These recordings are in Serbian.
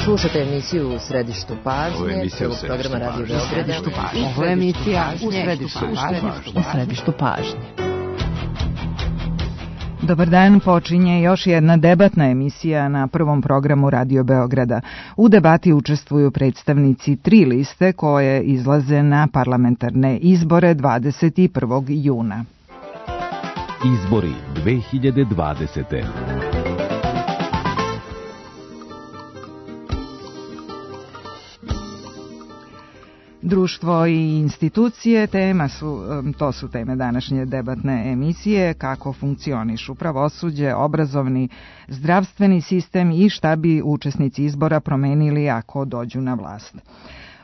Slušate emisiju U središtu pažnje, prvog programa Radio Beograda. Ovo je emisija U središtu pažnje. Dobar dan, počinje još jedna debatna emisija na prvom programu Radio Beograda. U debati učestvuju predstavnici 3 liste koje izlaze na parlamentarne izbore 21. juna. Izbori 2020. Društvo i institucije, to su teme današnje debatne emisije, kako funkcionišu pravosuđe, obrazovni, zdravstveni sistem i šta bi učesnici izbora promenili ako dođu na vlast.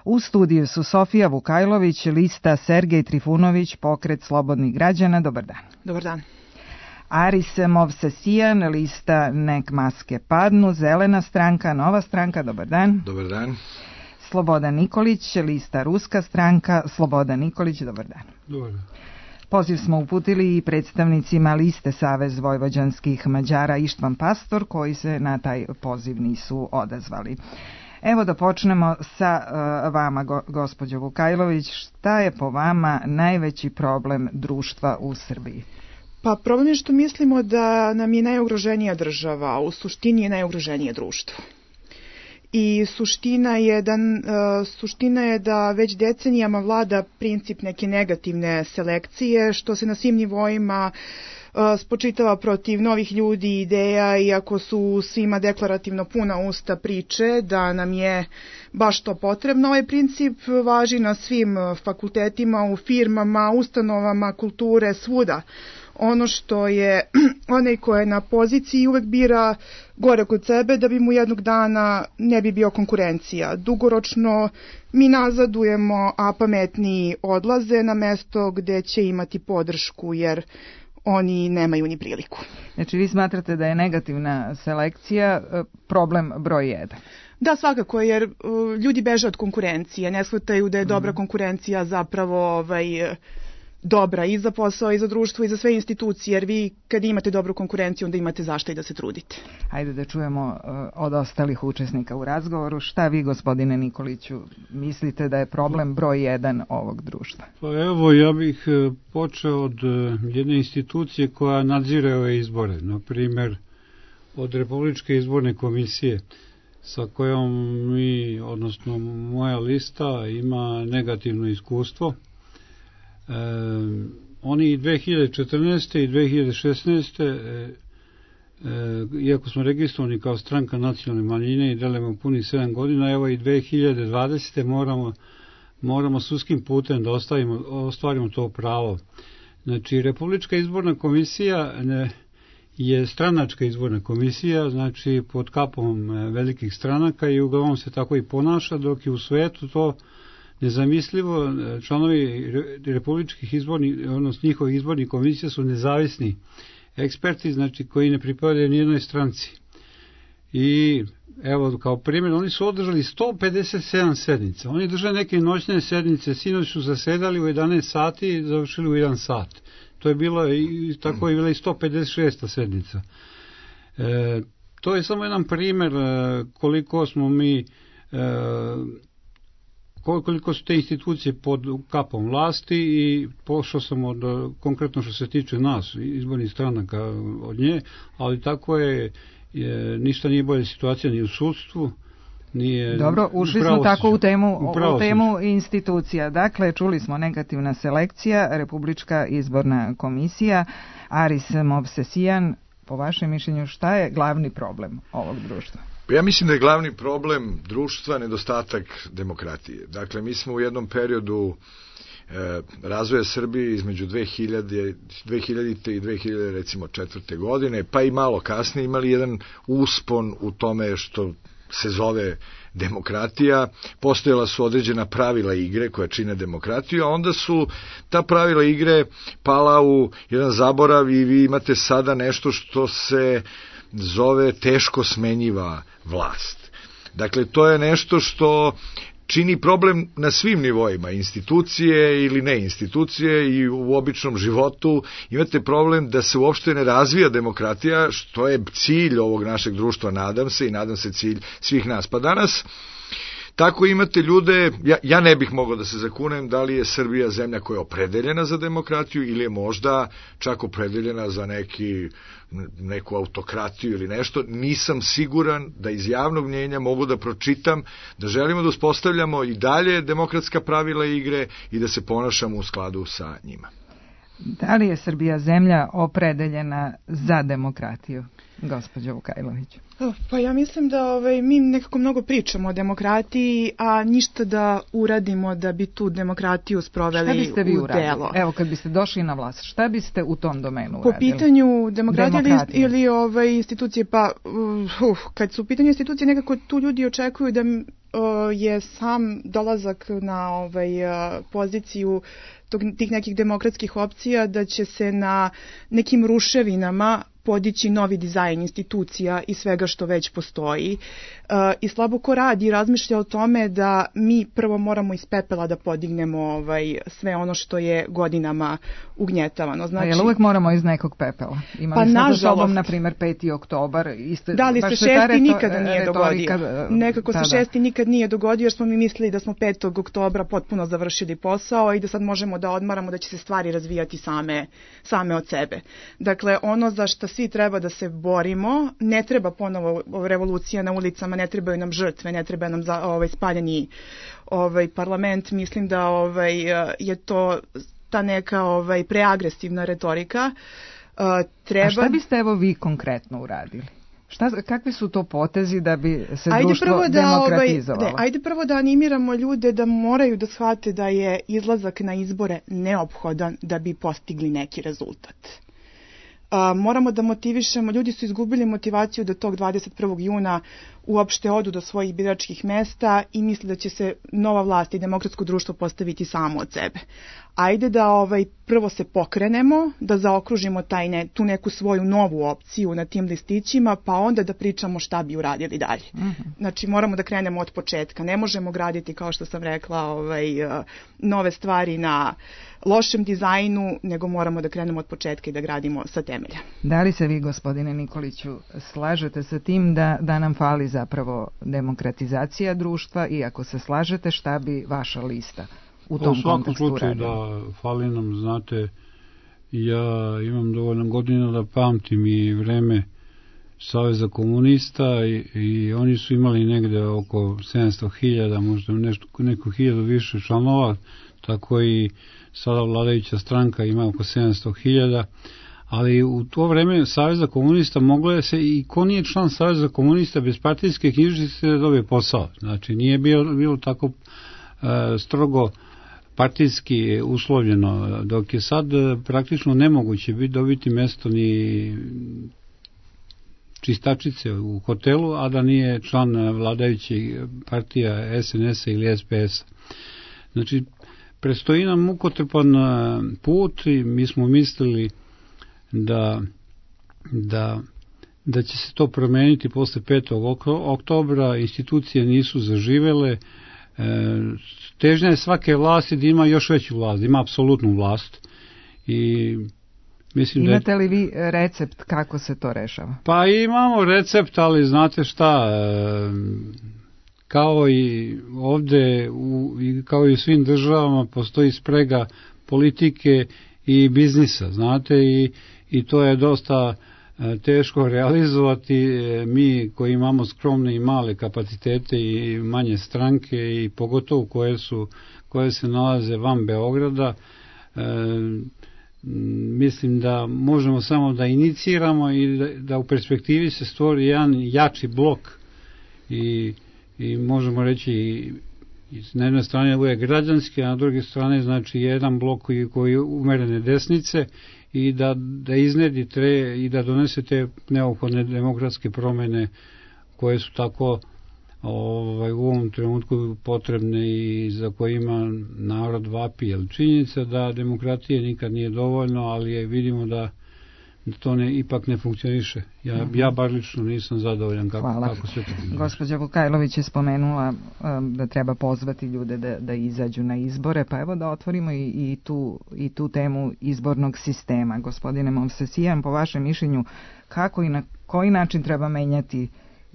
U studiju su Sofija Vukajlović, lista Sergej Trifunović, Pokret slobodnih građana. Dobar dan. Dobar dan. Aris Movsesijan, lista Nek maske padnu, Zelena stranka, Nova stranka. Dobar dan. Dobar dan. Slobodan Nikolić, lista Ruska stranka, Slobodan Nikolić, dobar dan. Dobar dan. Poziv smo uputili i predstavnicima liste Savez vojvođanskih Mađara Ištvan Pastor, koji se na taj poziv nisu odazvali. Evo da počnemo sa vama, gospođo Vukajlović. Šta je po vama najveći problem društva u Srbiji? Pa problem je što mislimo da nam je najugroženija država, a u suštini je najugroženije društvo. I suština je da već decenijama vlada princip neke negativne selekcije, što se na svim nivoima spočitava protiv novih ljudi i ideja, iako su svima deklarativno puna usta priče da nam je baš to potrebno. Ovaj princip važi na svim fakultetima, u firmama, ustanovama, kulture, svuda. Ono što je onaj ko je na poziciji uvek bira gore kod sebe da bi mu jednog dana ne bi bio konkurencija. Dugoročno mi nazadujemo, a pametniji odlaze na mesto gde će imati podršku jer oni nemaju ni priliku. Znači vi smatrate da je negativna selekcija problem broj 1? Da, svakako, jer ljudi beže od konkurencije, ne shvataju da je dobra konkurencija zapravo dobra i za posao i za društvo i za sve institucije, jer vi kad imate dobru konkurenciju onda imate zašto i da se trudite. Hajde da čujemo od ostalih učesnika u razgovoru. Šta vi, gospodine Nikoliću, mislite da je problem broj 1 ovog društva? Pa evo, ja bih počeo od jedne institucije koja nadzire ove izbore, na primjer od Republičke izborne komisije, sa kojom mi, odnosno moja lista, ima negativno iskustvo. Oni i 2014. i 2016. Iako smo registrovani kao stranka nacionalne manjine i delimo punih 7 godina, evo i 2020. moramo sudskim putem da ostvarimo to pravo. Znači, Republička izborna komisija je stranačka izborna komisija, znači pod kapom velikih stranaka i uglavnom se tako i ponaša, dok je u svetu to nezamislivo. Članovi republičkih izbornih, odnosno njihovih izbornih komisija su nezavisni eksperti, znači koji ne pripadaju nijednoj stranci. I evo kao primjer, oni su održali 157 sednica. Oni drže neke noćne sednice, sinoć su zasedali u 11 sati i završili u 1 sat. To je bilo i tako je bila i 156. sednica. To je samo jedan primjer koliko smo mi koliko su te institucije pod kapom vlasti i pošao sam konkretno što se tiče nas, izbornih stranaka od nje, ali tako je, ništa nije bolja situacija ni u sudstvu, nije. Dobro, ušli smo tako u temu institucija. Dakle, čuli smo negativna selekcija, Republička izborna komisija. Aris Movsesijan, po vašem mišljenju, šta je glavni problem ovog društva? Ja mislim da je glavni problem društva nedostatak demokratije. Dakle, mi smo u jednom periodu razvoja Srbije između 2000. i 2004. godine, pa i malo kasnije imali jedan uspon u tome što se zove demokratija. Postojala su određena pravila igre koja čine demokratiju, a onda su ta pravila igre pala u jedan zaborav i vi imate sada nešto što se zove teško smenjiva vlast. Dakle, to je nešto što čini problem na svim nivoima, institucije ili ne institucije, i u običnom životu imate problem da se uopšte ne razvija demokratija, što je cilj ovog našeg društva, nadam se cilj svih nas. Pa danas tako imate ljude, ja ne bih mogao da se zakunem da li je Srbija zemlja koja je opredeljena za demokratiju ili je možda čak opredeljena za neku autokratiju ili nešto. Nisam siguran da iz javnog mnjenja mogu da pročitam da želimo da uspostavljamo i dalje demokratska pravila igre i da se ponašamo u skladu sa njima. Da li je Srbija zemlja opredeljena za demokratiju, gospođo Vukajlović? Pa ja mislim da mi nekako mnogo pričamo o demokratiji, a ništa da uradimo da bi tu demokratiju sproveli u delo. Šta biste vi uradili? Evo, kad biste došli na vlast, šta biste u tom domenu uradili? Po pitanju demokratije ili institucije, pa kad su u pitanju institucije, nekako tu ljudi očekuju da je sam dolazak na poziciju tih nekih demokratskih opcija, da će se na nekim ruševinama podići novi dizajn institucija i svega što već postoji. I slabo ko radi i razmišlja o tome da mi prvo moramo iz pepela da podignemo sve ono što je godinama ugnjetavano. Znači, jel uvek moramo iz nekog pepela? Imali smo za sobom, na primjer, 5. oktobar. Da li se 6. nikada nije dogodio? Nekako se 6. nikad nije dogodio jer smo mi mislili da smo 5. oktobra potpuno završili posao i da sad možemo da odmaramo, da će se stvari razvijati same od sebe. Dakle, ono za što svi treba da se borimo, ne treba ponovo revolucija na ulicama, ne trebaju nam žrtve, ne treba nam spaljeni parlament. Mislim da je to ta neka preagresivna retorika. A šta biste vi konkretno uradili? Kakvi su to potezi da bi se društvo demokratizovalo? Ajde prvo da animiramo ljude da moraju da shvate da je izlazak na izbore neophodan da bi postigli neki rezultat. Moramo da motivišemo, ljudi su izgubili motivaciju da tog 21. juna uopšte odu do svojih biračkih mesta i misle da će se nova vlast i demokratsko društvo postaviti samo od sebe. Ajde da prvo se pokrenemo, da zaokružimo tu neku svoju novu opciju na tim listićima, pa onda da pričamo šta bi uradili dalje. Znači moramo da krenemo od početka. Ne možemo graditi, kao što sam rekla, nove stvari na lošem dizajnu, nego moramo da krenemo od početka i da gradimo sa temelja. Da li se vi, gospodine Nikoliću, slažete sa tim da nam fali zapravo demokratizacija društva, i ako se slažete, šta bi vaša lista u tom kontekstu uradila? U svakom slučaju da fali nam, znate, ja imam dovoljno godina da pamtim i vreme Saveza komunista i oni su imali negde oko 700.000, možda neko 1000 više članova, tako i sada vladajuća stranka ima oko 700.000, ali u to vreme Saveza komunista moglo je se, i ko nije član Saveza komunista bez partijske knjižice da dobije posao. Znači nije bilo tako strogo partijski uslovljeno, dok je sad praktično nemoguće dobiti mesto ni čistačice u hotelu, a da nije član vladajućih partija SNS-a ili SPS-a. Znači, predstoji nam mukotrpan put i mi smo mislili da će se to promeniti posle 5. oktobra, institucije nisu zaživele, težnja je svake vlasti da ima još veću vlast, da ima apsolutnu vlast. I mislim imate li vi recept kako se to rešava? Pa imamo recept, ali znate šta, kao i ovde, kao i u svim državama, postoji sprega politike i biznisa, znate, i to je dosta teško realizovati. Mi koji imamo skromne i male kapacitete i manje stranke, i pogotovo koje se nalaze van Beograda, mislim da možemo samo da iniciramo i da u perspektivi se stvori jedan jači blok i možemo reći na jednoj strani ovo je građanski, a na druge strane znači jedan blok koji je umerene desnice i da iznedi i da donese te neophodne demokratske promene koje su tako u ovom trenutku potrebne i za kojima narod vapi. Jer činjenica da demokratije nikad nije dovoljno, ali vidimo to ipak ne funkcioniše. Ja bar lično nisam zadovoljan kako sve to funkcioniše. Gospođa Vukajlović je spomenula da treba pozvati ljude da izađu na izbore, pa evo da otvorimo i tu temu izbornog sistema. Gospodine Movsesijan, po vašem mišljenju, kako i na koji način treba menjati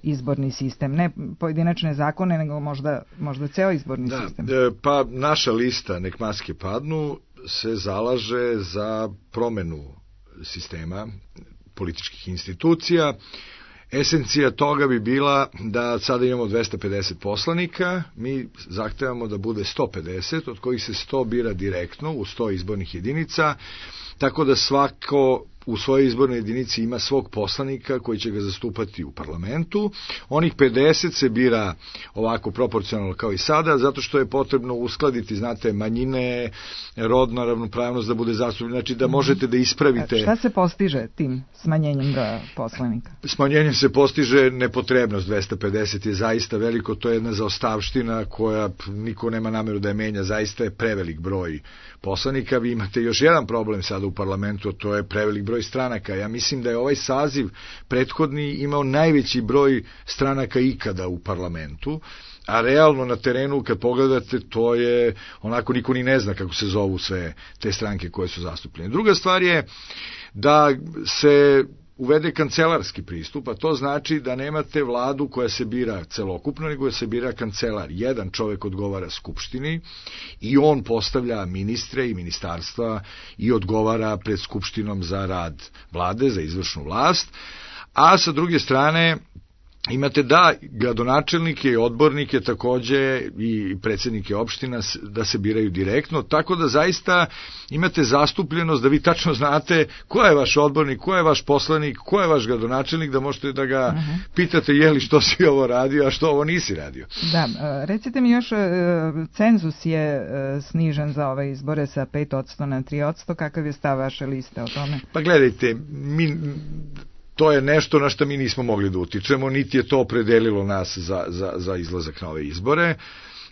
izborni sistem, ne pojedinačne zakone, nego možda ceo izborni sistem? Pa naša lista Nek maske padnu se zalaže za promenu sistema političkih institucija. Esencija toga bi bila da sada imamo 250 poslanika, mi zahtevamo da bude 150, od kojih se 100 bira direktno u 100 izbornih jedinica, tako da svako u svojoj izbornoj jedinici ima svog poslanika koji će ga zastupati u parlamentu. Onih 50 se bira ovako proporcionalno kao i sada, zato što je potrebno uskladiti, znate, manjine, rodna ravnopravnost da bude zastupljena, znači da možete da ispravite. Šta se postiže tim smanjenjem broja poslanika? Smanjenjem se postiže nepotrebnost. 250 je zaista veliko, to je jedna zaostavština koja niko nema nameru da je menja, zaista je prevelik broj poslanika. Vi imate još jedan problem sada u parlamentu, a to je prevelik broj stranaka. Ja mislim da je ovaj saziv prethodni imao najveći broj stranaka ikada u parlamentu, a realno na terenu kad pogledate to je onako niko ni ne zna kako se zovu sve te stranke koje su zastupljene. Druga stvar je da se uvede kancelarski pristup, a to znači da nemate vladu koja se bira celokupno, nego se bira kancelar. Jedan čovek odgovara Skupštini i on postavlja ministre i ministarstva i odgovara pred Skupštinom za rad vlade, za izvršnu vlast, a sa druge strane imate da gradonačelnike i odbornike takođe i predsjednike opština da se biraju direktno, tako da zaista imate zastupljenost da vi tačno znate ko je vaš odbornik, ko je vaš poslanik, ko je vaš gradonačelnik, da možete da ga pitate je li što si ovo radio, a što ovo nisi radio. Da, recite mi još, cenzus je snižen za ove izbore sa 5% na 3%, kakav je stav vaše liste o tome? Pa gledajte, to je nešto na što mi nismo mogli da utičemo, niti je to opredelilo nas za izlazak na ove izbore.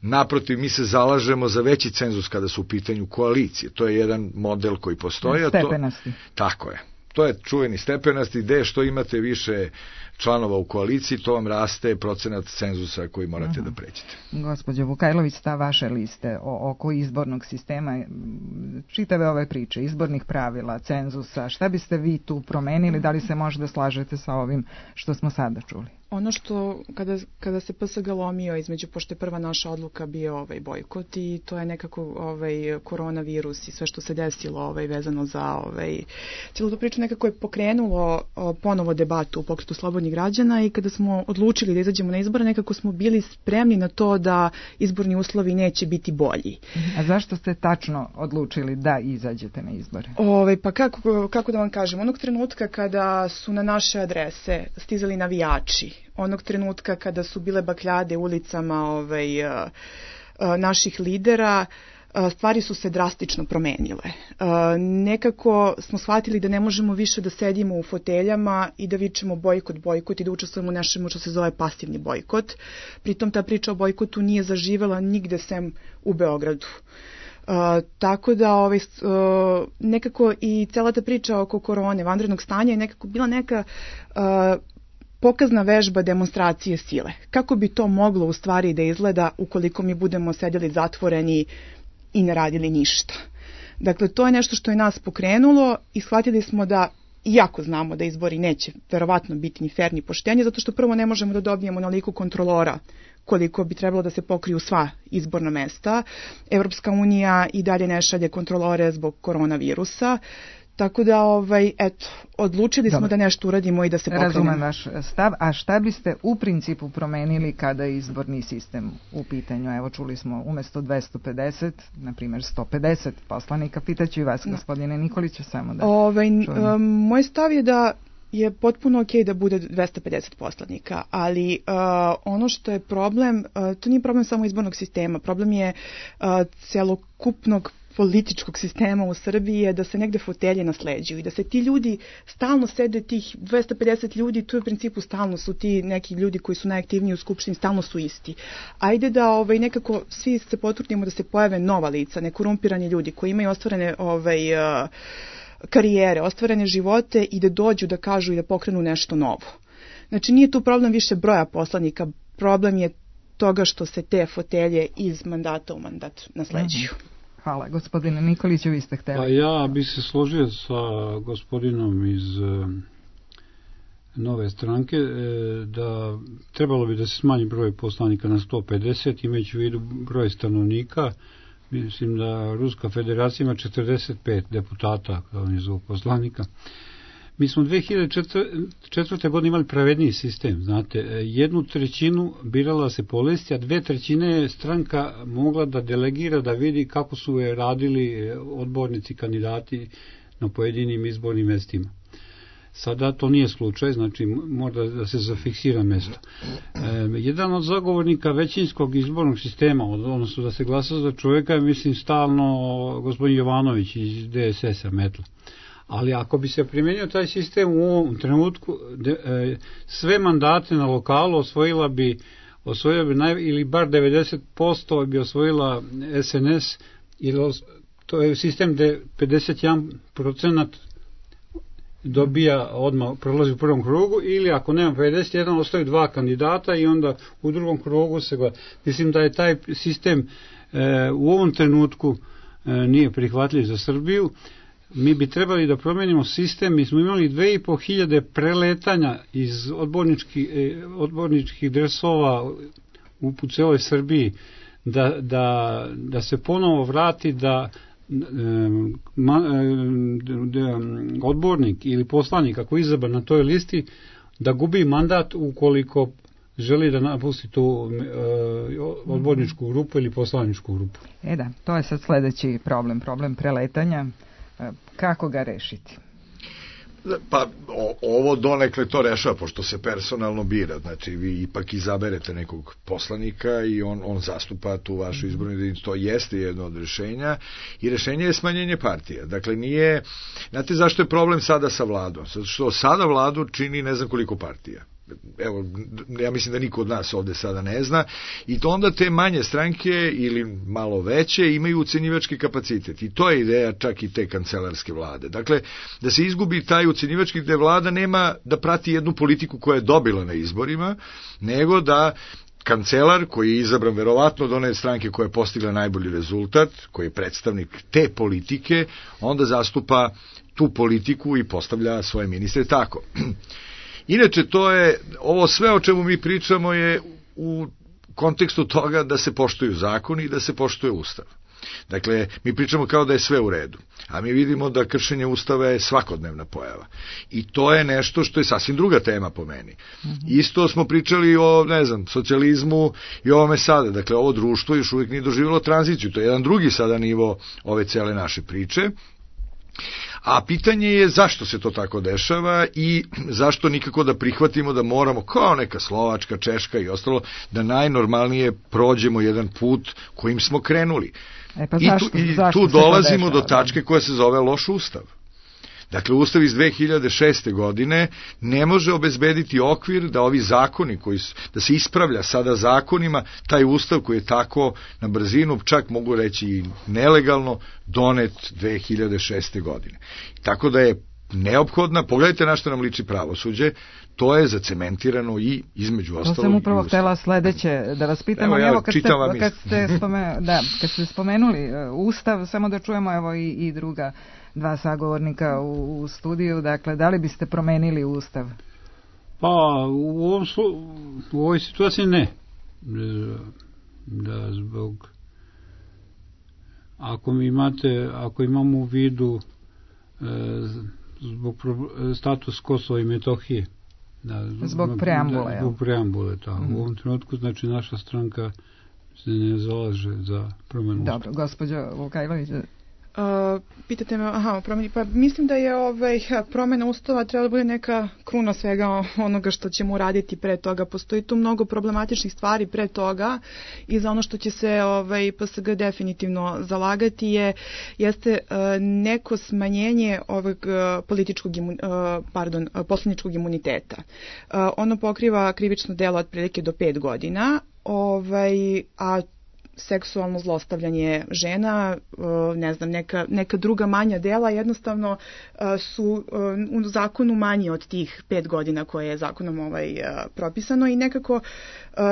Naprotiv, mi se zalažemo za veći cenzus kada su u pitanju koalicije. To je jedan model koji postoji. Stepenasti. Tako je. To je čuveni stepenasti, gde što imate više članova u koaliciji, to vam raste procenat cenzusa koji morate da pređete. Gospođo Vukajlović, sta vaše liste oko izbornog sistema, čitave ove priče, izbornih pravila, cenzusa, šta biste vi tu promenili, da li se možda slažete sa ovim što smo sada čuli? Ono što, kada se PSG lomio između, pošto je prva naša odluka bio bojkot i to je nekako koronavirus i sve što se desilo vezano za cijelu tu priču nekako je pokrenulo ponovo debatu u Pokretu slobodnih građana i kada smo odlučili da izađemo na izbore, nekako smo bili spremni na to da izborni uslovi neće biti bolji. A zašto ste tačno odlučili da izađete na izbore? Pa kako da vam kažem, onog trenutka kada su na naše adrese stizali navijači, onog trenutka kada su bile bakljade ulicama naših lidera, stvari su se drastično promenile. Nekako smo shvatili da ne možemo više da sedimo u foteljama i da vičemo bojkot i da učestvujemo u nešemu što se zove pasivni bojkot. Pritom ta priča o bojkotu nije zaživela nigde sem u Beogradu. Tako da nekako i cela ta priča oko korone, vanrednog stanja je nekako bila neka pokazna vežba demonstracije sile. Kako bi to moglo u stvari da izgleda ukoliko mi budemo sedjeli zatvoreni i ne radili ništa. Dakle, to je nešto što je nas pokrenulo i shvatili smo da, iako znamo da izbori neće verovatno biti ni fer ni poštenje, zato što prvo ne možemo da dobijemo onoliko kontrolora koliko bi trebalo da se pokriju sva izborna mesta. Evropska unija i dalje ne šalje kontrolore zbog koronavirusa. Tako da, odlučili smo da nešto uradimo i da se pokrenemo. Razumem vaš stav, a šta biste u principu promenili kada je izborni sistem u pitanju? Evo, čuli smo umesto 250, na primjer 150 poslanika. Pitaću i vas, gospodine Nikoliću, samo da čujemo. Moj stav je da je potpuno okej da bude 250 poslanika, ali ono što je problem, to nije problem samo izbornog sistema, problem je celokupnog političkog sistema u Srbiji je da se negde fotelje nasleđuju i da se ti ljudi stalno sede, tih 250 ljudi, tu u principu stalno su ti neki ljudi koji su najaktivniji u Skupštini, stalno su isti. Ajde da nekako svi se potrudimo da se pojave nova lica, nekorumpirani ljudi koji imaju ostvarene karijere, ostvarene živote i da dođu da kažu i da pokrenu nešto novo. Znači nije tu problem više broja poslanika, problem je toga što se te fotelje iz mandata u mandat nasleđuju. Hvala. Gospodine Nikoliću, vi ste hteli. Pa ja bi se složio sa gospodinom iz Nove stranke da trebalo bi da se smanji broj poslanika na 150, imajući u vidu broj stanovnika. Mislim da Ruska federacija ima 45 deputata, kao oni zovu poslanika. Mi smo 2004. godine imali pravedniji sistem, znate, 1/3 birala se po listi, a 2/3 je stranka mogla da delegira, da vidi kako su je radili odbornici, kandidati na pojedinim izbornim mestima. Sada to nije slučaj, znači mora da se zafiksira mesto. Jedan od zagovornika većinskog izbornog sistema, odnosno da se glasa za čovjeka, je mislim stalno gospodin Jovanović iz DSS-a Metla. Ali ako bi se primjenio taj sistem u ovom trenutku, sve mandate na lokalu osvojila bi ili bar 90% bi osvojila SNS, ili to je sistem gde 51% dobija odmah, prolazi u prvom krugu, ili ako nema 51, ostaju 2 kandidata i onda u drugom krugu se gleda. Mislim da je taj sistem u ovom trenutku nije prihvatljiv za Srbiju. Mi bi trebali da promenimo sistem. Mi smo imali 2500 preletanja iz odborničkih dresova u celoj Srbiji, da se ponovo vrati da odbornik ili poslanik ako je izabran na toj listi da gubi mandat ukoliko želi da napusti tu odborničku grupu ili poslaničku grupu. Da, to je sad sledeći problem preletanja. Kako ga rešiti? Pa ovo donekle to rešava, pošto se personalno bira, znači vi ipak izaberete nekog poslanika i on zastupa tu vašu izbornu jedinicu, to jeste jedno od rešenja i rešenje je smanjenje partija. Dakle nije, znate zašto je problem sada sa vladom? Zato što sada vladu čini ne znam koliko partija. Evo, ja mislim da niko od nas ovde sada ne zna, i to onda te manje stranke ili malo veće imaju ucenjivački kapacitet, i to je ideja čak i te kancelarske vlade. Dakle, da se izgubi taj ucenjivački, gde vlada nema da prati jednu politiku koja je dobila na izborima, nego da kancelar koji je izabran verovatno od one stranke koja je postigla najbolji rezultat, koji je predstavnik te politike, onda zastupa tu politiku i postavlja svoje ministre tako. Inače, to je, ovo sve o čemu mi pričamo je u kontekstu toga da se poštuju zakoni i da se poštuje Ustav. Dakle, mi pričamo kao da je sve u redu, a mi vidimo da kršenje Ustava je svakodnevna pojava. I to je nešto što je sasvim druga tema po meni. Isto smo pričali o, socijalizmu i ovome sada. Dakle, ovo društvo još uvijek nije doživjelo tranziciju. To je jedan drugi sada nivo ove cele naše priče. A pitanje je zašto se to tako dešava i zašto nikako da prihvatimo da moramo, kao neka Slovačka, Češka i ostalo, da najnormalnije prođemo jedan put kojim smo krenuli. Tu dolazimo do tačke koja se zove loš ustav. Dakle, ustav iz 2006. godine ne može obezbediti okvir da ovi zakoni, da se ispravlja sada zakonima, taj ustav koji je tako na brzinu, čak mogu reći i nelegalno, donet 2006. godine. Tako da je neophodna, pogledajte na što nam liči pravosuđe, to je zacementirano i između ostalog. To sam upravo htela sledeće da vas pitam. Evo, kad ste spomenuli Ustav, samo da čujemo evo i druga dva sagovornika u studiju, dakle, da li biste promenili Ustav? Pa, u ovoj situaciji ne. Da zbog ako imamo u vidu zbog status Kosova i Metohije. Zbog preambule. Zbog preambule, tako. U ovom trenutku, znači, naša stranka se ne zalaže za promenu Ustava. Dobro, gospođo Vukajlović. Pitate me, pa mislim da je promena Ustava treba da bude neka kruna svega onoga što ćemo uraditi pre toga. Postoji tu mnogo problematičnih stvari pre toga i za ono što će se PSG definitivno zalagati jeste neko smanjenje ovog poslaničkog imuniteta. Ono pokriva krivično delo otprilike do 5 godina, a seksualno zlostavljanje žena, ne znam, neka druga manja dela, jednostavno su u zakonu manji od tih 5 godina koje je zakonom propisano i nekako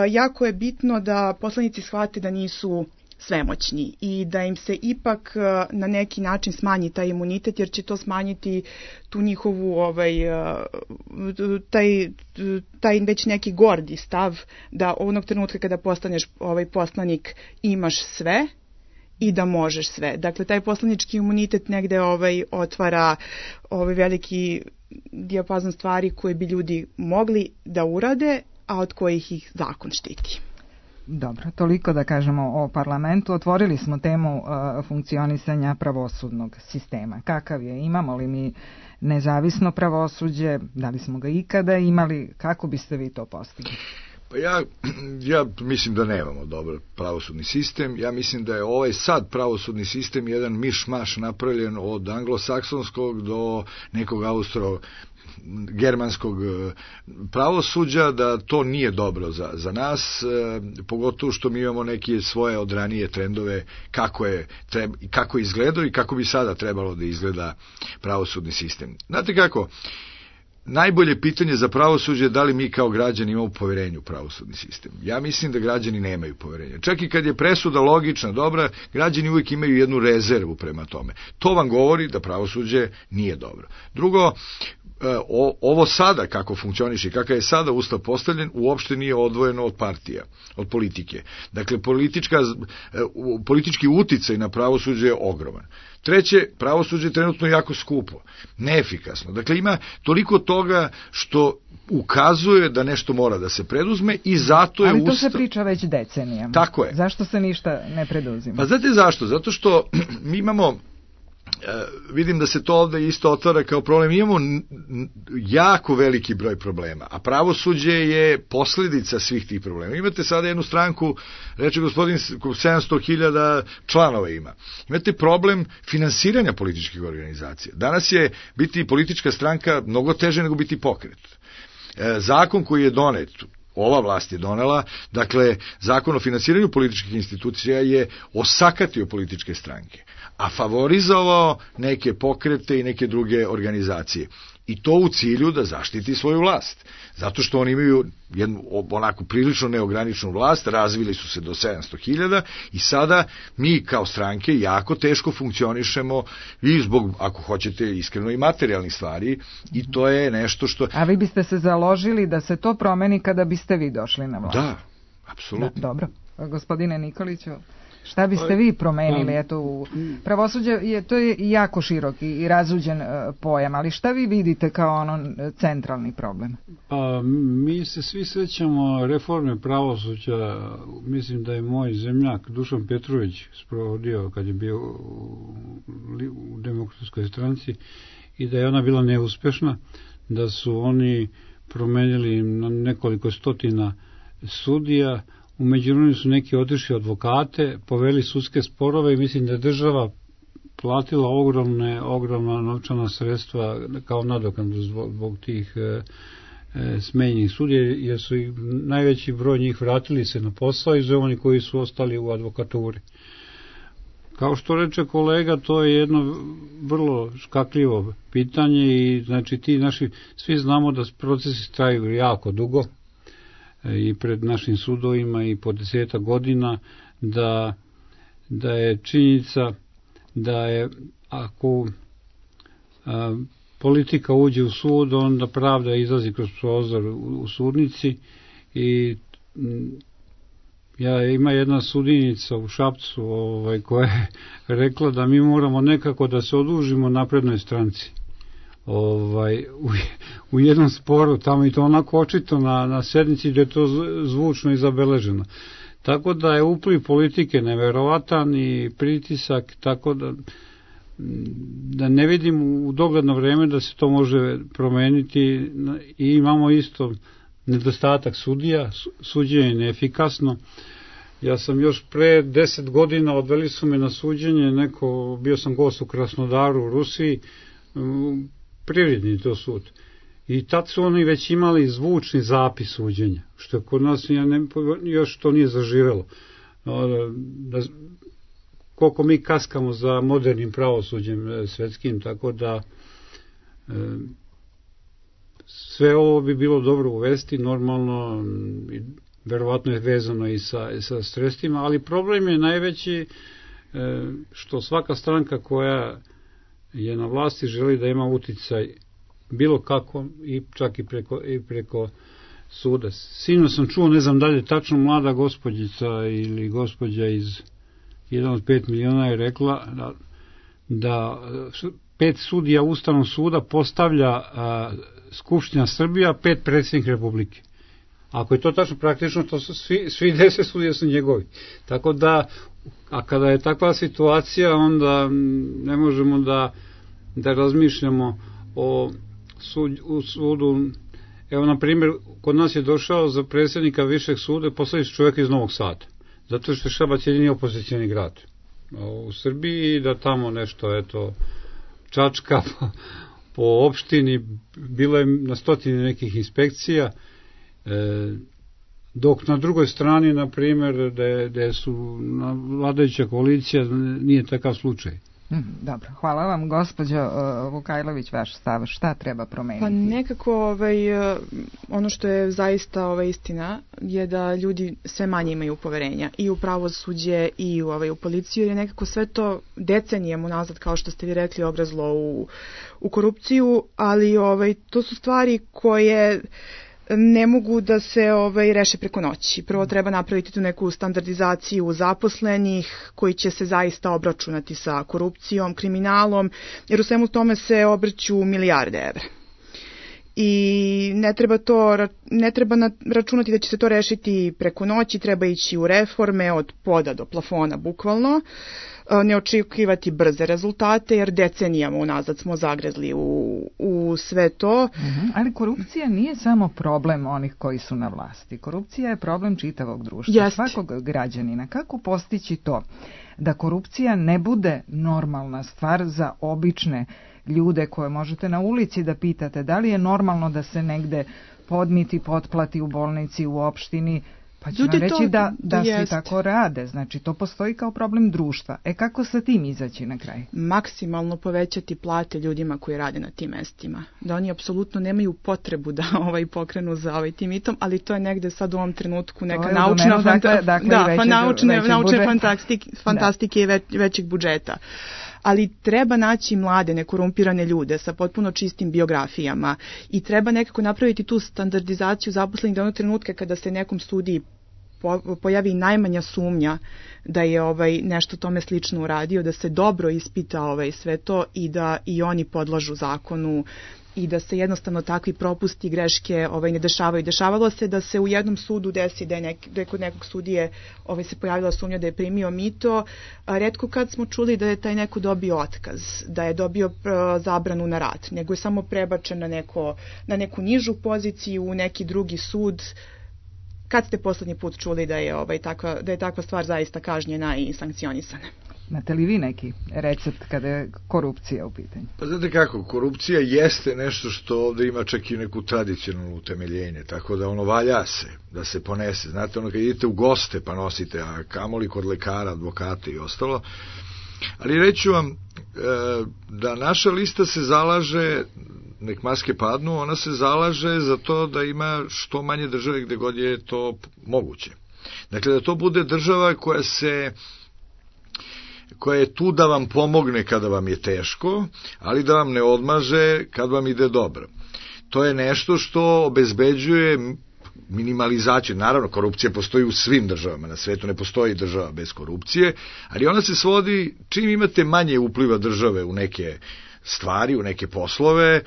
jako je bitno da poslanici shvate da nisu svemoćni i da im se ipak na neki način smanji taj imunitet, jer će to smanjiti tu njihovu taj već neki gordi stav da onog trenutka kada postaneš poslanik imaš sve i da možeš sve. Dakle, taj poslanički imunitet negde otvara veliki dijapazon stvari koje bi ljudi mogli da urade, a od kojih ih zakon štiti. Dobro, toliko da kažemo o parlamentu. Otvorili smo temu funkcionisanja pravosudnog sistema. Kakav je? Imamo li mi nezavisno pravosuđe? Da li smo ga ikada imali? Kako biste vi to postigli? Pa ja mislim da nemamo dobar pravosudni sistem. Ja mislim da je ovaj sad pravosudni sistem jedan miš-maš napravljen od anglosaksonskog do nekog austro-germanskog pravosuđa, da to nije dobro za nas, pogotovo što mi imamo neke svoje odranije trendove kako izgledao i kako bi sada trebalo da izgleda pravosudni sistem. Znate kako? Najbolje pitanje za pravosuđe je da li mi kao građani imamo poverenje u pravosudni sistem. Ja mislim da građani nemaju poverenja. Čak i kad je presuda logična, dobra, građani uvijek imaju jednu rezervu prema tome. To vam govori da pravosuđe nije dobro. Drugo, ovo sada kako funkcioniše i kakav je sada ustav postavljen uopšte nije odvojeno od partija, od politike. Dakle, politički uticaj na pravosuđe je ogroman. Treće, pravosuđe je trenutno jako skupo, neefikasno. Dakle, ima toliko toga što ukazuje da nešto mora da se preduzme i zato je ustav... Ali to se priča već decenijama. Tako je. Zašto se ništa ne preduzima? Pa znate zašto? Zato što mi imamo... vidim da se to ovde isto otvara kao problem. Imamo jako veliki broj problema, a pravosuđe je posledica svih tih problema. Imate sada jednu stranku, reče gospodin, 700.000 članova ima. Imate problem finansiranja političkih organizacija. Danas je biti politička stranka mnogo teže nego biti pokret. Zakon koji je donet, ova vlast je donela, dakle, zakon o finansiranju političkih institucija je osakatio političke stranke, a favorizovao neke pokrete i neke druge organizacije. I to u cilju da zaštiti svoju vlast. Zato što oni imaju jednu onako prilično neograničenu vlast, razvili su se do 700.000 i sada mi kao stranke jako teško funkcionišemo i zbog, ako hoćete, iskreno i materijalnih stvari i to je nešto što... A vi biste se založili da se to promeni kada biste vi došli na vlast? Da, apsolutno. Da, dobro. Gospodine Nikoliću, šta biste vi promenili? Eto, pravosuđe to je jako širok i razuđen pojam, ali šta vi vidite kao centralni problem? Pa, mi se svi sećamo reforme pravosuđa. Mislim da je moj zemljak Dušan Petrović sprovodio kad je bio u Demokratskoj stranci i da je ona bila neuspešna, da su oni promenili nekoliko stotina sudija. U međuvremenu su neki otišli advokate, poveli sudske sporove i mislim da je država platila ogromna novčana sredstva kao nadoknadu zbog tih smenjenih sudija, jer su najveći broj njih vratili se na posao i oni koji su ostali u advokaturi. Kao što reče kolega, to je jedno vrlo škakljivo pitanje i znači ti naši, svi znamo da procesi traju jako dugo i pred našim sudovima i po 10 godina, da je činjenica da je ako politika uđe u sud, onda pravda izlazi kroz prozor u sudnici i ima jedna sudinica u Šapcu koja je rekla da mi moramo nekako da se odužimo naprednoj stranci. U jednom sporu tamo i to onako očito na sednici gde je to zvučno i zabeleženo. Tako da je upliv politike neverovatan i pritisak, tako da ne vidim u dogledno vreme da se to može promeniti i imamo isto nedostatak sudija, suđenje je neefikasno. Ja sam još pre 10 godina, odveli su me na suđenje, bio sam gost u Krasnodaru u Rusiji, privredni to sud. I tad su oni već imali zvučni zapis suđenja, što kod nas još to nije zaživelo. koliko mi kaskamo za modernim pravosuđem svetskim, tako da sve ovo bi bilo dobro uvesti, normalno, verovatno je vezano i sa sredstvima, ali problem je najveći što svaka stranka koja je na vlasti želi da ima uticaj bilo kako i čak i preko suda. Sinoć sam čuo, ne znam dalje, tačno mlada gospođica ili gospođa iz 1 od 5 miliona je rekla da 5 sudija Ustavnog suda postavlja Skupština Srbija, 5 predsjednik Republike. Ako je to tačno, praktično to su svi 10 sudija su njegovi. Tako da, a kada je takva situacija, onda ne možemo da razmišljamo o sudu. Evo, na primjer, kod nas je došao za predsjednika Višeg suda posljednji čovjek iz Novog Sada, zato što je Šabac jedini opozicijani grad u Srbiji, da tamo nešto, čačka po opštini, bilo je na stotine nekih inspekcija, dok na drugoj strani, na primjer, gde su vladajuća koalicija, nije takav slučaj. Dobro, hvala vam. Gospođo Vukajlović, vaš stav, šta treba promeniti? Pa nekako ono što je zaista istina je da ljudi sve manje imaju poverenja i u pravosuđe i u policiju, jer je nekako sve to decenijama unazad, kao što ste vi rekli, obrazlo u korupciju, ali to su stvari koje ne mogu da se reše preko noći. Prvo treba napraviti tu neku standardizaciju zaposlenih koji će se zaista obračunati sa korupcijom, kriminalom, jer u svemu tome se obrću milijarde evra. I ne treba računati da će se to rešiti preko noći, treba ići u reforme od poda do plafona, bukvalno. Ne očekivati brze rezultate, jer decenijama unazad smo zagrezli u sve to. Ali korupcija nije samo problem onih koji su na vlasti. Korupcija je problem čitavog društva, svakog građanina. Kako postići to da korupcija ne bude normalna stvar za obične ljude koje možete na ulici da pitate da li je normalno da se negde podmiti, potplati u bolnici, u opštini, pa ću vam reći da svi tako rade. Znači, to postoji kao problem društva. Kako sa tim izaći na kraj? Maksimalno povećati plate ljudima koji rade na tim mestima. Da oni apsolutno nemaju potrebu da pokrenu za tim mitom, ali to je negde sad u ovom trenutku neka naučna fantastike i većeg budžeta. Ali treba naći mlade, nekorumpirane ljude sa potpuno čistim biografijama i treba nekako napraviti tu standardizaciju zaposlenih da onog trenutka kada se nekom studiji pojavi najmanja sumnja da je nešto tome slično uradio, da se dobro ispita sve to i da i oni podlažu zakonu i da se jednostavno takvi propusti, greške ne dešavaju. Dešavalo se da se u jednom sudu desi da je kod nekog sudije se pojavila sumnja da je primio mito. Retko kad smo čuli da je taj neko dobio otkaz, da je dobio zabranu na rad, nego je samo prebačen na neku nižu poziciju, u neki drugi sud. Kad ste poslednji put čuli da je takva stvar zaista kažnjena i sankcionisana? Imate li vi neki recept kada je korupcija u pitanju? Pa znate kako, korupcija jeste nešto što ovde ima čak i neku tradicionalnu utemeljenje, tako da valja se, da se ponese. Znate, kad idete u goste pa nosite, a kamoli kod lekara, advokata i ostalo. Ali reću vam da naša lista se zalaže, nek maske padnu, ona se zalaže za to da ima što manje države gde god je to moguće. Dakle, da to bude država koja je tu da vam pomogne kada vam je teško, ali da vam ne odmaže kad vam ide dobro. To je nešto što obezbeđuje minimalizaciju. Naravno, korupcija postoji u svim državama na svetu, ne postoji država bez korupcije, ali ona se svodi, čim imate manje upliva države u neke stvari, u neke poslove.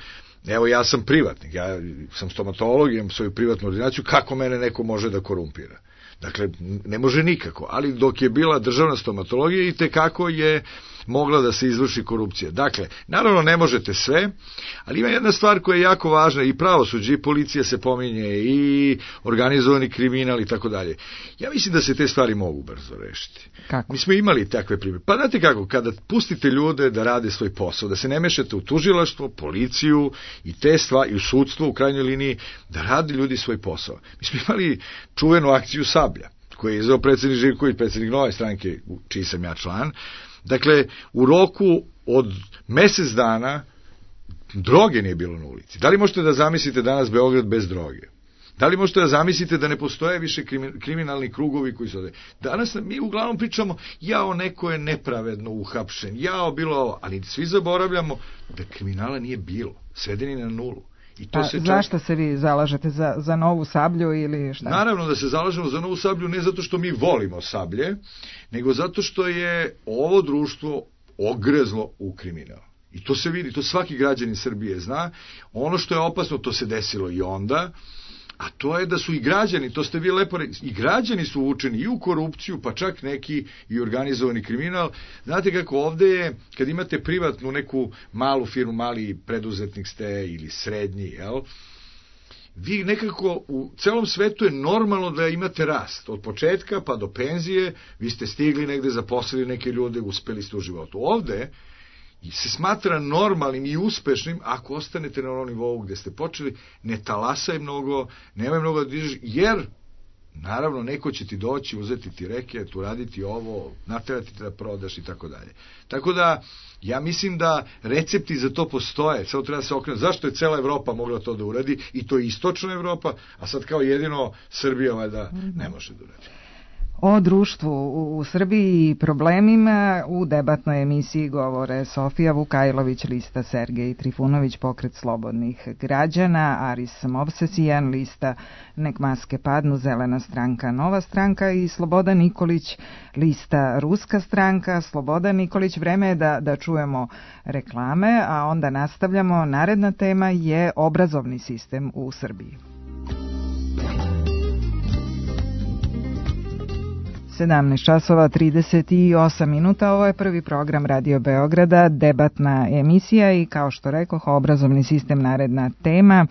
Evo, ja sam privatnik, ja sam stomatolog, imam svoju privatnu ordinaciju, kako mene neko može da korumpira? Dakle, ne može nikako, ali dok je bila državna stomatologija i tekako je mogla da se izvrši korupcija. Dakle, naravno ne možete sve, ali ima jedna stvar koja je jako važna, i pravosuđe, i policija se pominje, i organizovani kriminal i tako dalje. Ja mislim da se te stvari mogu brzo rešiti. Kako? Mi smo imali takve primjere. Pa znate kako, kada pustite ljude da rade svoj posao, da se ne mešate u tužilaštvo, policiju i te stvari, i u sudstvo u krajnjoj liniji, da rade ljudi svoj posao. Mi smo imali čuvenu akciju Sablja, koji je izveo predsjednik Živković, predsjednik Nove stranke, čiji sam ja član. Dakle, u roku od mesec dana droge nije bilo na ulici. Da li možete da zamislite danas Beograd bez droge? Da li možete da zamislite da ne postoje više kriminalni krugovi koji su ovde? Danas mi uglavnom pričamo, jao, neko je nepravedno uhapšen, jao, bilo ovo, ali svi zaboravljamo da kriminala nije bilo, svedeni na nulu. I to zašto se vi zalažete za novu Sablju ili šta? Naravno da se zalažemo za novu Sablju ne zato što mi volimo Sablje, nego zato što je ovo društvo ogrezlo u kriminal. I to se vidi, to svaki građanin Srbije zna. Ono što je opasno, to se desilo i onda, a to je da su i građani, to ste vi lepo rekli, i građani su uvučeni i u korupciju, pa čak neki i organizovani kriminal. Znate kako ovde je, kad imate privatnu neku malu firmu, mali preduzetnik ste ili srednji, jel? Vi nekako u celom svetu je normalno da imate rast. Od početka pa do penzije, vi ste stigli negde, zaposlili neke ljude, uspeli ste u životu. Ovde se smatra normalnim i uspešnim ako ostanete na onom nivou gde ste počeli, ne talasaj mnogo, nemoj mnogo da dižeš, jer naravno neko će ti doći, uzeti ti reket, uraditi ovo, naterati te da prodaš i tako dalje. Tako da, ja mislim da recepti za to postoje, samo treba se okrenuti. Zašto je cela Evropa mogla to da uradi, i to je istočna Evropa, a sad kao jedino Srbija valjda ne može da uradi. O društvu u Srbiji i problemima u debatnoj emisiji govore Sofija Vukajlović, lista Sergej Trifunović, Pokret slobodnih građana, Aris Movsesijan, lista Nek maske padnu, Zelena stranka, Nova stranka i Slobodan Nikolić, lista Ruska stranka. Slobodan Nikolić, vreme je da čujemo reklame, a onda nastavljamo. Naredna tema je obrazovni sistem u Srbiji. 17 časova 38 minuta, ovo je prvi program Radio Beograda, debatna emisija i kao što rekoh, obrazovni sistem naredna tema.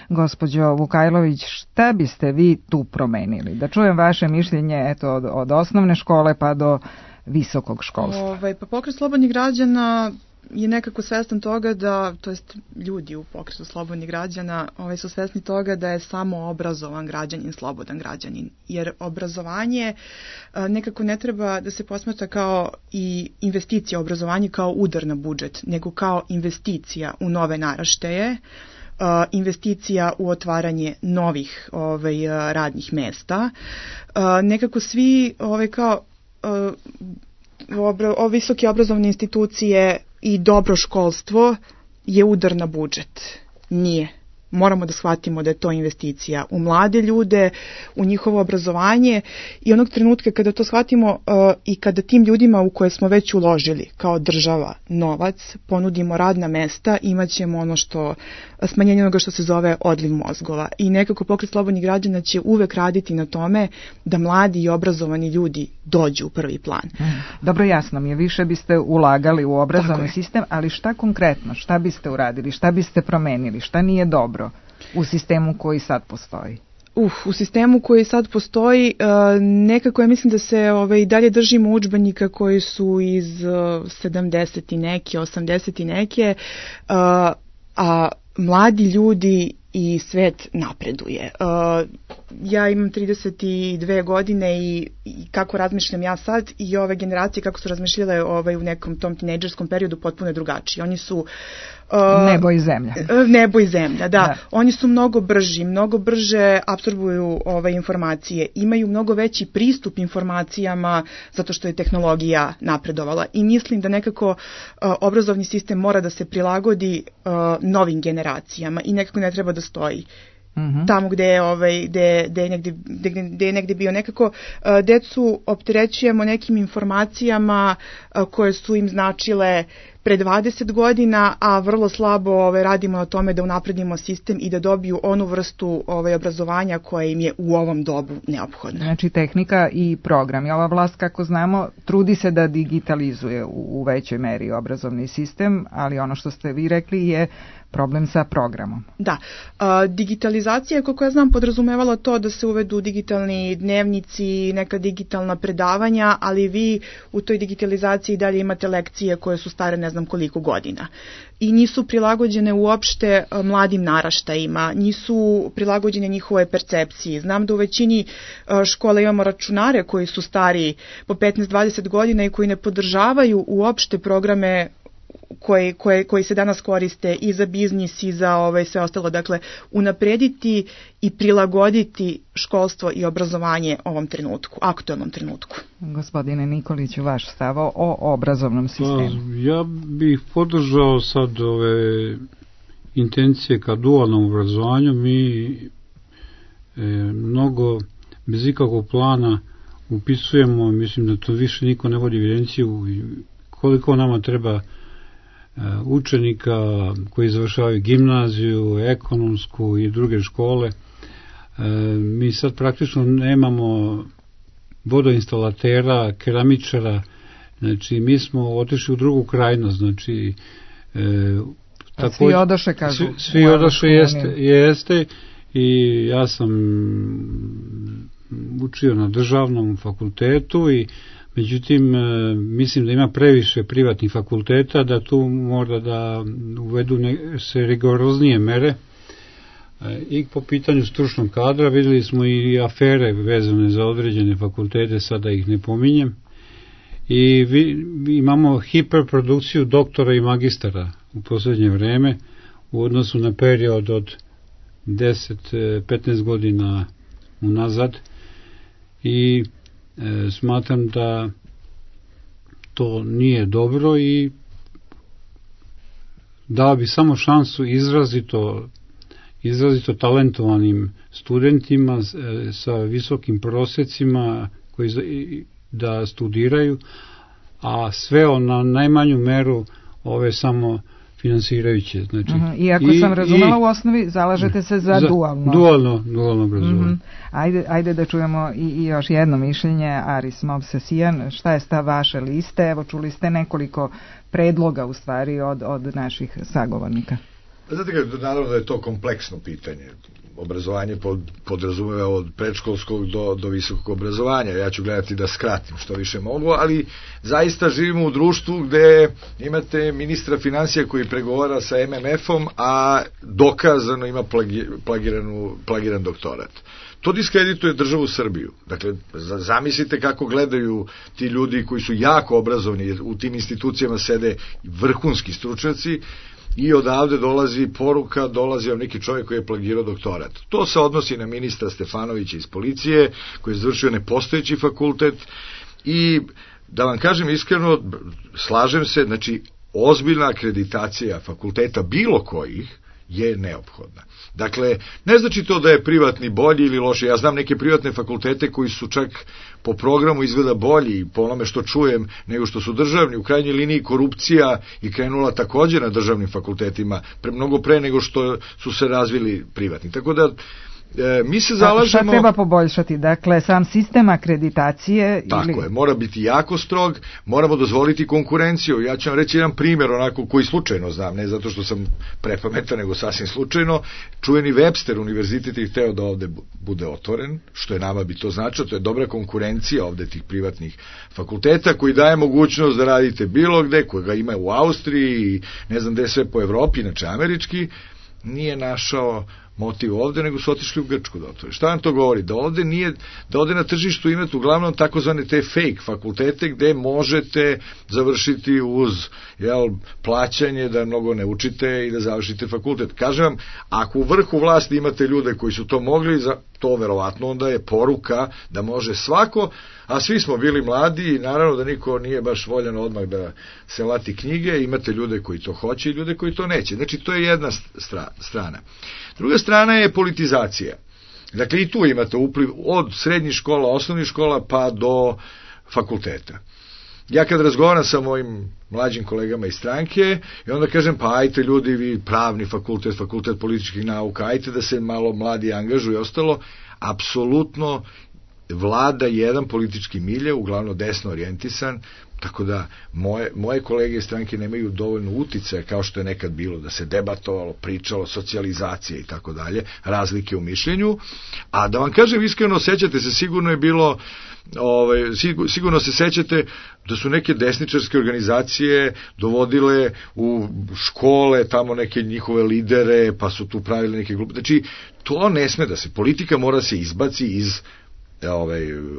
Gospođo Vukajlović, šta biste vi tu promenili? Da čujem vaše mišljenje, eto, od osnovne škole pa do visokog školstva. Pa Pokret slobodnih građana je nekako svestan toga da, to jest ljudi u Pokretu slobodnih građana su svesni toga da je samo obrazovan građanin slobodan građanin, jer obrazovanje nekako ne treba da se posmatra kao i investicija u obrazovanje kao udar na budžet, nego kao investicija u nove naraštaje, investicija u otvaranje novih radnih mesta. Nekako svi kao visoke obrazovne institucije i dobro školstvo je udar na budžet. Nije. Moramo da shvatimo da je to investicija u mlade ljude, u njihovo obrazovanje i onog trenutka kada to shvatimo i kada tim ljudima u koje smo već uložili kao država novac, ponudimo radna mesta, imat ćemo ono što, smanjenje onoga što se zove odliv mozgova. I nekako Pokret slobodnih građana će uvek raditi na tome da mladi i obrazovani ljudi dođu u prvi plan. Dobro, jasno mi je, više biste ulagali u obrazovni sistem, ali šta konkretno, šta biste uradili, šta biste promenili, šta nije dobro u sistemu koji sad postoji? U sistemu koji sad postoji, nekako ja mislim da se i dalje držimo udžbenika koji su iz 70 i neke, 80 i neke, a mladi ljudi i svet napreduje. Ja imam 32 godine i kako razmišljam ja sad i ove generacije kako su razmišljale u nekom tom tinejdžerskom periodu potpuno je drugačije. Oni su nebo i zemlja. Nebo i zemlja, da. Oni su mnogo brži, mnogo brže apsorbuju informacije, imaju mnogo veći pristup informacijama zato što je tehnologija napredovala i mislim da nekako obrazovni sistem mora da se prilagodi novim generacijama i nekako ne treba da stoji. Tamo gde je negde bio nekako decu opterećujemo nekim informacijama koje su im značile pre 20 godina, a vrlo slabo radimo na tome da unapredimo sistem i da dobiju onu vrstu obrazovanja koja im je u ovom dobu neophodna. Znači tehnika i program. I ova vlast, kako znamo, trudi se da digitalizuje u većoj meri obrazovni sistem, ali ono što ste vi rekli je problem sa programom. Da. Digitalizacija, koliko ja znam, podrazumevala to da se uvedu digitalni dnevnici, neka digitalna predavanja, ali vi u toj digitalizaciji dalje imate lekcije koje su stare ne znam koliko godina i nisu prilagođene uopšte mladim naraštajima, nisu prilagođene njihove percepciji. Znam da u većini škola imamo računare koji su stari po 15-20 godina i koji ne podržavaju uopšte programe koji se danas koriste i za biznis i za sve ostalo. Dakle, unaprediti i prilagoditi školstvo i obrazovanje ovom trenutku, aktualnom trenutku. Gospodine Nikoliću, vaš stav o obrazovnom sistemu? Ja bih podržao sad ove intencije ka dualnom obrazovanju. Mi mnogo bez ikakvog plana upisujemo, mislim da to više niko ne vodi evidenciju koliko nama treba učenika koji završavaju gimnaziju, ekonomsku i druge škole. Mi sad praktično nemamo vodoinstalatera, keramičara, znači mi smo otišli u drugu krajnost, znači svi odoše, kažu. Svi odoše, jeste i ja sam učio na državnom fakultetu i međutim, mislim da ima previše privatnih fakulteta, da tu mora da uvedu se rigoroznije mere. I po pitanju stručnog kadra videli smo i afere vezane za određene fakultete, sada ih ne pominjem. I imamo hiperprodukciju doktora i magistara u posljednje vreme u odnosu na period od 10-15 godina unazad i smatram da to nije dobro i dao bi samo šansu izrazito talentovanim studentima sa visokim prosecima koji da studiraju, a sve na najmanju meru ove samo finansirajuće. Znači, Iako sam razumela, u osnovi zalažete se za dualno obrazovanje. Ajde da čujemo i još jedno mišljenje. Aris Movsesijan, šta je stav vaše liste? Evo, čuli ste nekoliko predloga u stvari od naših sagovornika. Znate kako, naravno da je to kompleksno pitanje. Obrazovanje podrazumeva od predškolskog do visokog obrazovanja. Ja ću gledati da skratim što više mogu, ali zaista živimo u društvu gde imate ministra financija koji pregovara sa MMF-om, a dokazano ima plagiran doktorat. To diskredituje državu Srbiju. Dakle, zamislite kako gledaju ti ljudi koji su jako obrazovni, u tim institucijama sede vrhunski stručnjaci, i odavde dolazi poruka, dolazi vam neki čovjek koji je plagirao doktorat. To se odnosi na ministra Stefanovića iz policije, koji je završio nepostojeći fakultet i da vam kažem iskreno, slažem se, znači ozbiljna akreditacija fakulteta bilo kojih je neophodna. Dakle, ne znači to da je privatni bolji ili loši. Ja znam neke privatne fakultete koji su čak po programu izgleda bolji, po onome što čujem, nego što su državni. U krajnjoj liniji korupcija je krenula također na državnim fakultetima, mnogo pre nego što su se razvili privatni. Tako da mi se zalažemo... Šta treba poboljšati? Dakle, sam sistem akreditacije... Tako je, mora biti jako strog, moramo dozvoliti konkurenciju. Ja ću vam reći jedan primjer, onako koji slučajno znam, ne zato što sam prepametan, nego sasvim slučajno. Čuveni Webster univerzitet je hteo da ovde bude otvoren, što je nama bi to značilo, to je dobra konkurencija ovde tih privatnih fakulteta, koji daje mogućnost da radite bilo gde, koji ga ima u Austriji i ne znam gde sve po Evropi, inače američki, nije našao motiv ovde, nego su otišli u Grčku da otvore. Šta vam to govori? Da ovde na tržištu imate uglavnom takozvane te fake fakultete gde možete završiti uz plaćanje da mnogo ne učite i da završite fakultet. Kažem vam, ako u vrhu vlasti imate ljude koji su to mogli, to verovatno onda je poruka da može svako, a svi smo bili mladi i naravno da niko nije baš voljan odmah da se lati knjige, imate ljude koji to hoće i ljude koji to neće. Znači, to je jedna strana. Druga strana je politizacija. Dakle, i tu imate upliv od srednjih škola, osnovnih škola, pa do fakulteta. Ja kad razgovaram sa mojim mlađim kolegama iz stranke, i onda kažem, pa ajte ljudi, vi pravni fakultet, fakultet političkih nauka, ajte da se malo mladi angažuju i ostalo, apsolutno vlada jedan politički milje, uglavnom desno orijentisan, tako da moje kolege iz stranke nemaju dovoljno uticaja kao što je nekad bilo, da se debatovalo, pričalo, socijalizacija i tako dalje, razlike u mišljenju. A da vam kažem iskreno, sećate se, sigurno je bilo, sigurno se sećate da su neke desničarske organizacije dovodile u škole tamo neke njihove lidere, pa su tu pravili neke glupe. Znači, to ne sme da se, politika mora se izbaci iz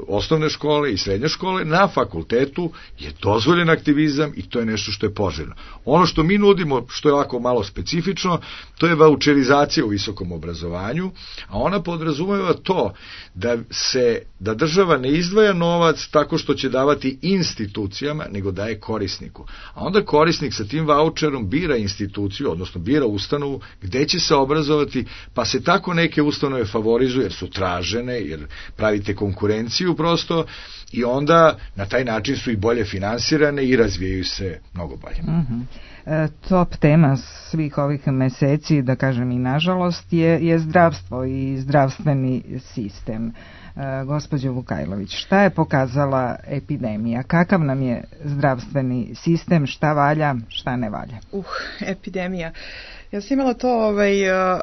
osnovne škole i srednje škole. Na fakultetu je dozvoljen aktivizam i to je nešto što je poželjno. Ono što mi nudimo, što je ovako malo specifično, to je vaučerizacija u visokom obrazovanju, a ona podrazumeva to da država ne izdvaja novac tako što će davati institucijama, nego daje korisniku. A onda korisnik sa tim vaučerom bira instituciju, odnosno bira ustanovu gde će se obrazovati, pa se tako neke ustanove favorizuju jer su tražene, jer pravite konkurenciju prosto, i onda na taj način su i bolje finansirane i razvijaju se mnogo bolje. Top tema svih ovih meseci, da kažem i nažalost, je zdravstvo i zdravstveni sistem. Gospođo Vukajlović, šta je pokazala epidemija? Kakav nam je zdravstveni sistem? Šta valja, šta ne valja? Epidemija. Ja sam imala to,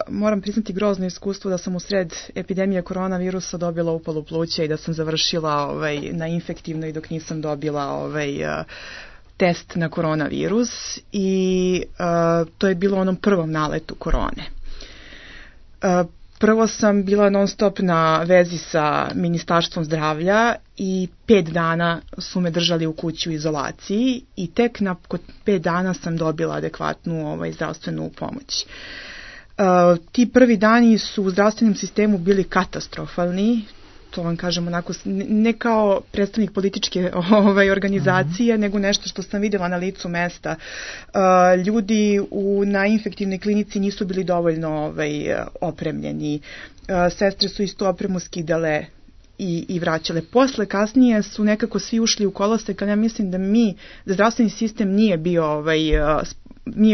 moram priznati, grozno iskustvo da sam u sred epidemije koronavirusa dobila upalu pluća i da sam završila na infektivnoj dok nisam dobila test na koronavirus, i to je bilo onom prvom naletu korone. Prvo sam bila non stop na vezi sa Ministarstvom zdravlja i 5 dana su me držali u kući u izolaciji i tek nakon 5 dana sam dobila adekvatnu zdravstvenu pomoć. Ti prvi dani su u zdravstvenom sistemu bili katastrofalni. To vam kažem onako, ne kao predstavnik političke organizacije, nego nešto što sam vidjela na licu mesta. Ljudi na infektivnoj klinici nisu bili dovoljno opremljeni. Sestre su istu opremu skidale i vraćale. Posle, kasnije su nekako svi ušli u kolosek, ali ja mislim da zdravstveni sistem nije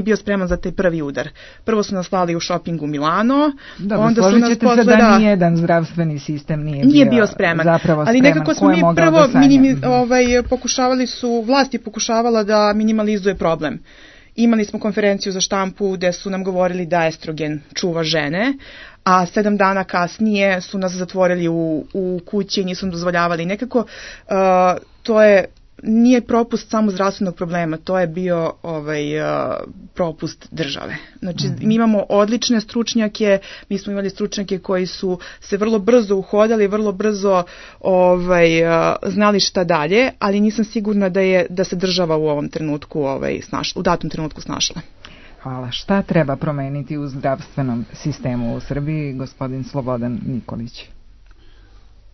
bio spreman za taj prvi udar. Prvo su nas slali u shopping u Milano. Dobro, onda složit ćete se da nijedan zdravstveni sistem nije bio spreman. Ali nekako smo mi prvo vlast je pokušavala da minimalizuje problem. Imali smo konferenciju za štampu gde su nam govorili da estrogen čuva žene, a 7 dana kasnije su nas zatvorili u kući i nisu nam dozvoljavali. Nekako to nije propust samo zdravstvenog problema, to je bio propust države. Znači, mi imamo odlične stručnjake, mi smo imali stručnjake koji su se vrlo brzo uhodali, vrlo brzo znali šta dalje, ali nisam sigurna da se država u ovom trenutku u datom trenutku snašla. Hvala. Šta treba promeniti u zdravstvenom sistemu u Srbiji, gospodin Slobodan Nikolić?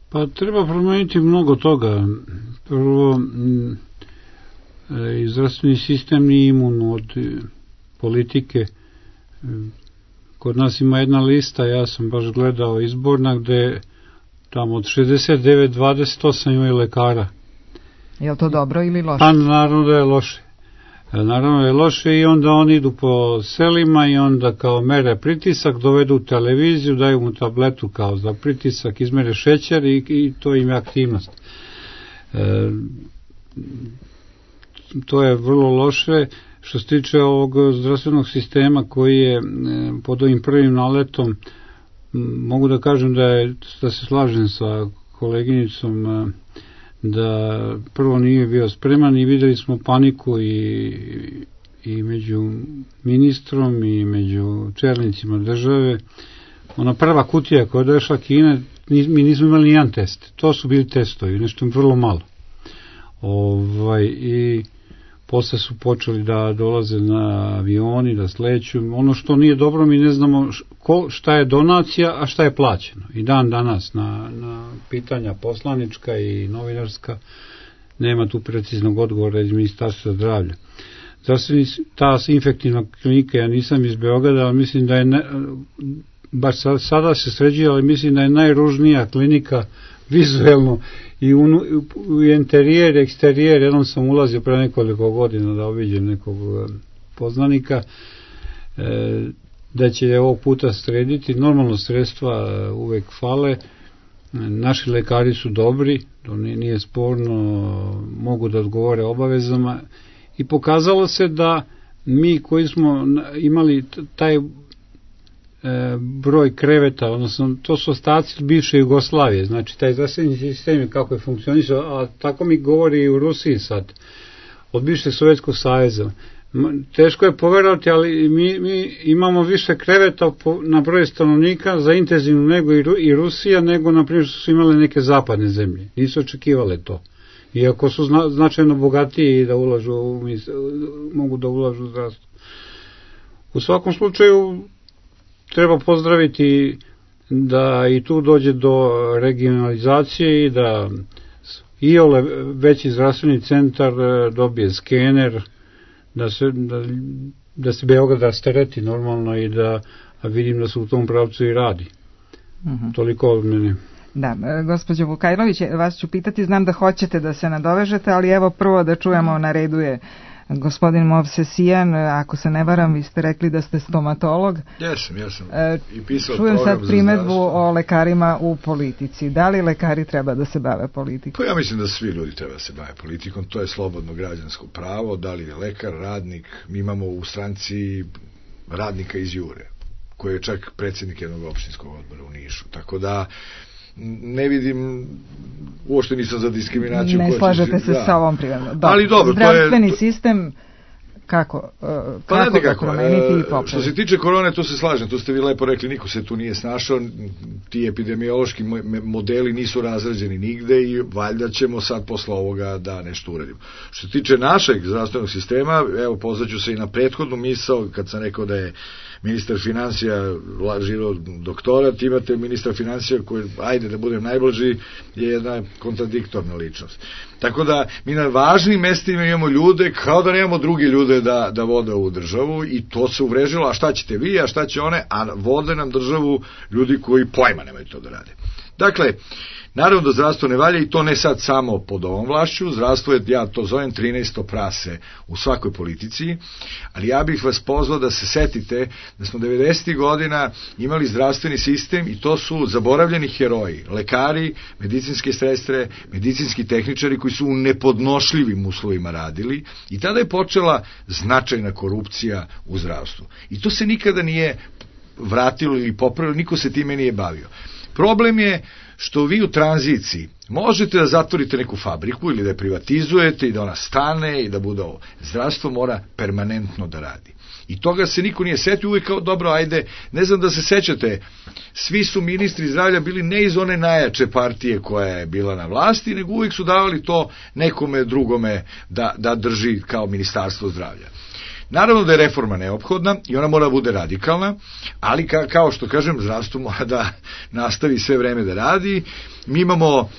Pa treba promeniti mnogo toga. Prvo, zdravstveni sistem nije imun od politike. Kod nas ima jedna lista, ja sam baš gledao izborna, gde tamo od 69, 28 imaju lekara. Je li to dobro ili loše? Pa naravno da je loše. Naravno je loše, i onda oni idu po selima i onda kao mere pritisak, dovedu televiziju, daju mu tabletu kao za pritisak, izmere šećer i to im je aktivnost. To je vrlo loše. Što se tiče ovog zdravstvenog sistema koji je pod ovim prvim naletom, mogu da kažem da se slažem sa koleginicom, da prvo nije bio spreman i videli smo paniku i među ministrom i među čelnicima države. Ona prva kutija koja je došla Kine, mi nismo imali nijedan test. To su bili testovi, nešto vrlo malo. I posle su počeli da dolaze na avioni, da sleću. Ono što nije dobro, mi ne znamo šta je donacija, a šta je plaćeno. I dan danas na pitanja poslanička i novinarska nema tu preciznog odgovora iz Ministarstva zdravlja. Ta infektivna klinika, ja nisam iz Beograda, ali mislim da je, baš sada se sređuje, ali mislim da je najružnija klinika vizuelno i u interijer, eksterijer. Jednom sam ulazio pre nekoliko godina da obiđem nekog poznanika, da će ovog puta srediti. Normalno sredstva uvek fale, Naši lekari su dobri, to nije sporno, mogu da odgovore obavezama i pokazalo se da mi koji smo imali taj broj kreveta, odnosno to su ostaci bivše Jugoslavije, znači taj zdravstveni sistem kako je funkcionisao, a tako mi govori i u Rusiji sad, od bivšeg Sovjetskog saveza. Teško je poverovati, ali mi imamo više kreveta na broj stanovnika za intenzivnu nego i Rusija, nego na primjer što su imale neke zapadne zemlje. Nisu očekivale to. Iako su značajno bogatiji da mogu da ulažu u zdravstvo. U svakom slučaju treba pozdraviti da i tu dođe do regionalizacije i da iole veći zdravstveni centar dobije skener, da se Beograd rastereti normalno i da vidim da se u tom pravcu i radi. Toliko od mene. Da, gospođo Vukajlović, vas ću pitati, znam da hoćete da se nadovežete, ali evo prvo da čujemo, na redu je gospodin Movsesijan, ako se ne varam, vi ste rekli da ste stomatolog. Jesam. I pisao čujem sad primedbu o lekarima u politici. Da li lekari treba da se bave politikom? Pa ja mislim da svi ljudi treba da se bave politikom, to je slobodno građansko pravo, da li je lekar, radnik, mi imamo u stranci radnika iz Jure, koji je čak predsjednik jednog opštinskog odbora u Nišu, tako da ne vidim, uopšte nisam za diskriminaciju. Ne slažete se sa ovom primjedbom. Ali dobro, zdravstveni sistem kako da promeniti i popraviti? Što se tiče korone, to se slažem, to ste vi lepo rekli, niko se tu nije snašao, ti epidemiološki modeli nisu razrađeni nigde i valjda ćemo sad posle ovoga da nešto uradimo. Što se tiče našeg zdravstvenog sistema, evo pozvaću se i na prethodnu misao, kad sam rekao da je ministar financija lažirao doktorat, imate ministra financija koji, ajde da budem najblaži, je jedna kontradiktorna ličnost. Tako da mi na važnim mestima imamo ljude kao da nemamo drugi ljude da vode ovu državu i to se uvrežilo, a šta ćete vi, a šta će one, a vode nam državu ljudi koji pojma nemaju to da rade. Dakle, naravno da zdravstvo ne valja i to ne sad samo pod ovom vlašću, zdravstvo je, ja to zovem 13. prase u svakoj politici, ali ja bih vas pozvao da se setite da smo 90. godina imali zdravstveni sistem i to su zaboravljeni heroji, lekari, medicinske sestre, medicinski tehničari koji su u nepodnošljivim uslovima radili i tada je počela značajna korupcija u zdravstvu. I to se nikada nije vratilo ili popravilo, niko se time nije bavio. Problem je što vi u tranziciji možete da zatvorite neku fabriku ili da je privatizujete i da ona stane i da bude ovo. Zdravstvo mora permanentno da radi. I toga se niko nije setio, uvijek kao dobro, ajde, ne znam da se sećate, svi su ministri zdravlja bili ne iz one najjače partije koja je bila na vlasti, nego uvijek su davali to nekome drugome da drži kao ministarstvo zdravlja. Naravno da je reforma neophodna i ona mora da bude radikalna, ali kao što kažem, zdravstvo mora da nastavi sve vreme da radi. Mi imamo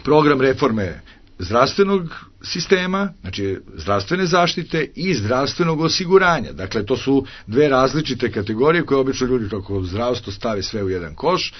program reforme zdravstvenog sistema, znači zdravstvene zaštite i zdravstvenog osiguranja. Dakle, to su dve različite kategorije koje obično ljudi kako zdravstvo stave sve u jedan koš.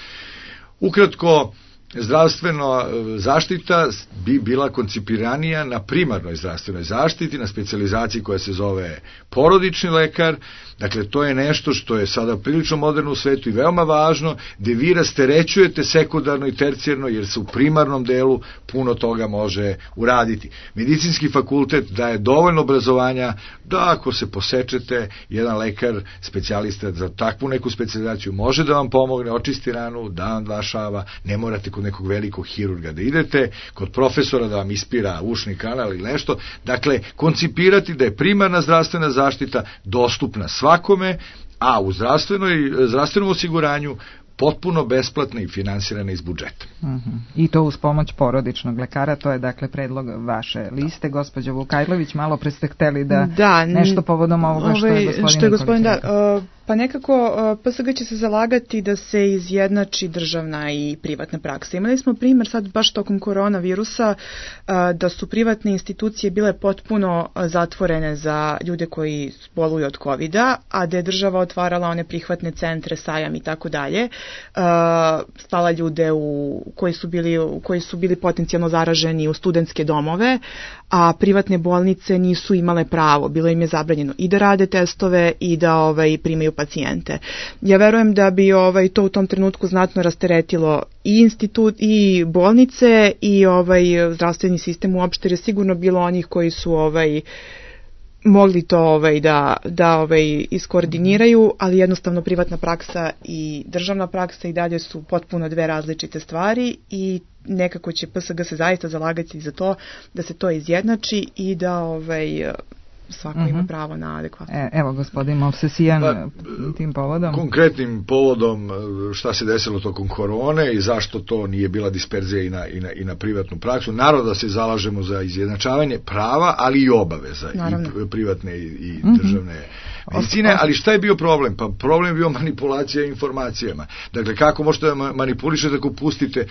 Ukratko, zdravstvena zaštita bi bila koncipiranija na primarnoj zdravstvenoj zaštiti, na specijalizaciji koja se zove porodični lekar. Dakle, to je nešto što je sada prilično moderno u svetu i veoma važno, gde vi rasterećujete sekundarno i tercijarno, jer se u primarnom delu puno toga može uraditi. Medicinski fakultet daje dovoljno obrazovanja da ako se posečete, jedan lekar, specijalista za takvu neku specijalizaciju može da vam pomogne, očisti ranu, da vam dva šava, ne morate kod nekog velikog hirurga da idete, kod profesora da vam ispira ušni kanal ili nešto. Dakle, koncipirati da je primarna zdravstvena zaštita dostupna svakome, a u zdravstvenom osiguranju potpuno besplatna i finansirana iz budžeta. I to uz pomoć porodičnog lekara, to je dakle predlog vaše liste. Gospođo Vukajlović, malo pre ste hteli da nešto povodom ovoga što je gospodin Nikolić. Pa nekako PSG će se zalagati da se izjednači državna i privatna praksa. Imali smo primjer sad baš tokom koronavirusa da su privatne institucije bile potpuno zatvorene za ljude koji boluju od COVID-a, a da je država otvarala one prihvatne centre, Sajam i tako dalje, slala ljude koji su bili potencijalno zaraženi u studentske domove, a privatne bolnice nisu imale pravo, bilo im je zabranjeno i da rade testove i da primaju pacijente. Ja verujem da bi to u tom trenutku znatno rasteretilo i institut i bolnice i zdravstveni sistem uopšte, jer je sigurno bilo onih koji su mogli to da iskoordiniraju, ali jednostavno privatna praksa i državna praksa i dalje su potpuno dve različite stvari i nekako će PSG se zaista zalagati za to da se to izjednači i da svako ima pravo na adekvatno. Evo, gospodin Movsesijan, tim povodom. Konkretnim povodom šta se desilo tokom korone i zašto to nije bila disperzija i na privatnu praksu. Naravno da se zalažemo za izjednačavanje prava, ali i obaveza, i privatne i državne medicine, ali šta je bio problem? Pa problem je bio manipulacija informacijama. Dakle, kako možete da manipulišete ako pustite...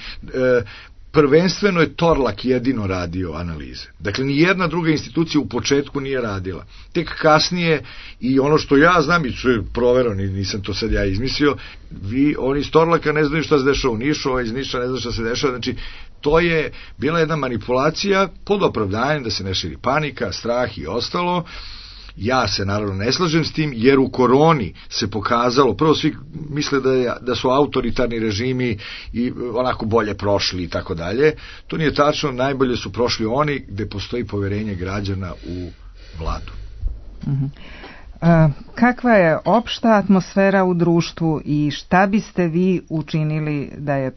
Prvenstveno je Torlak jedino radio analize. Dakle, ni jedna druga institucija u početku nije radila. Tek kasnije, i ono što ja znam, i što je provereno, nisam to sad ja izmislio, oni iz Torlaka ne znaju šta se dešava u Nišu, iz Niša ne znaju šta se dešava, znači to je bila jedna manipulacija pod opravdanjem da se ne širi panika, strah i ostalo. Ja se naravno ne slažem s tim, jer u koroni se pokazalo, prvo svi misle da su autoritarni režimi i onako bolje prošli i tako dalje. To nije tačno, najbolje su prošli oni gde postoji poverenje građana u vladu. Kakva je opšta atmosfera u društvu i šta biste vi učinili da je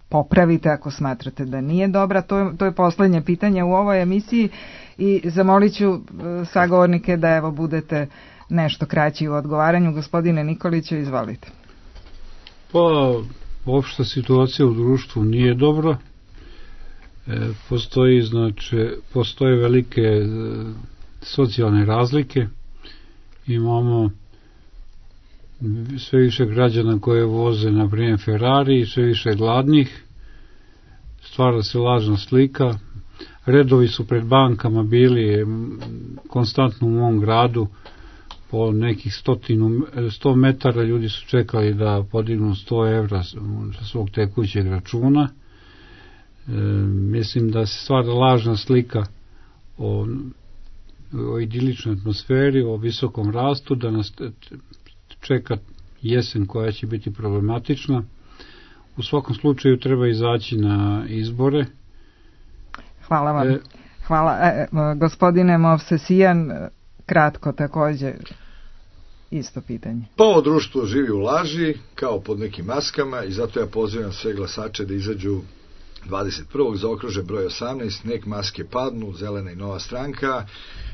popravite ako smatrate da nije dobra? To je poslednje pitanje u ovoj emisiji i zamolit ću sagovornike da budete nešto kraći u odgovaranju. Gospodine Nikoliću, izvolite. Pa, opšta situacija u društvu nije dobra. Postoje velike socijalne razlike. Imamo sve više građana koje voze, na primjer, Ferrari, sve više gladnih, stvara se lažna slika, redovi su pred bankama bili konstantno u mom gradu, po nekih 100 metara ljudi su čekali da podignu 100 evra sa svog tekućeg računa. Mislim da se stvara lažna slika o idiličnoj atmosferi, o visokom rastu, da nas čeka jesen koja će biti problematična. U svakom slučaju treba izaći na izbore. Hvala vam. Hvala. Gospodine Movsesijan, kratko takođe isto pitanje. Pa ovo društvo živi u laži, kao pod nekim maskama, i zato ja pozivam sve glasače da izađu 21. zaokruže broj 18, nek maske padnu, Zelena i Nova stranka.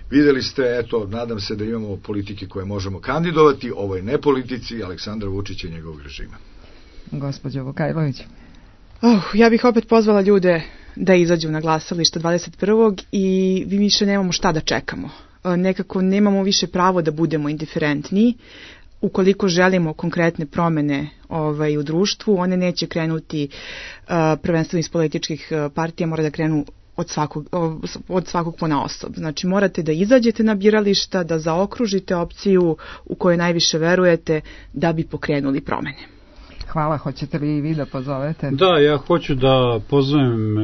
Videli ste, nadam se da imamo politike koje možemo kandidovati, ovo je ne politici Aleksandra Vučića i njegovog režima. Gospođo Vukajlović. Ja bih opet pozvala ljude da izađu na glasalište 21. i mi više nemamo šta da čekamo. Nekako nemamo više pravo da budemo indiferentni. Ukoliko želimo konkretne promene u društvu, one neće krenuti prvenstveno iz političkih partija, mora da krenu od svakog ponaosob. Znači, morate da izađete na birališta, da zaokružite opciju u kojoj najviše verujete da bi pokrenuli promene. Hvala, hoćete li i vi da pozovete? Da, ja hoću da pozovem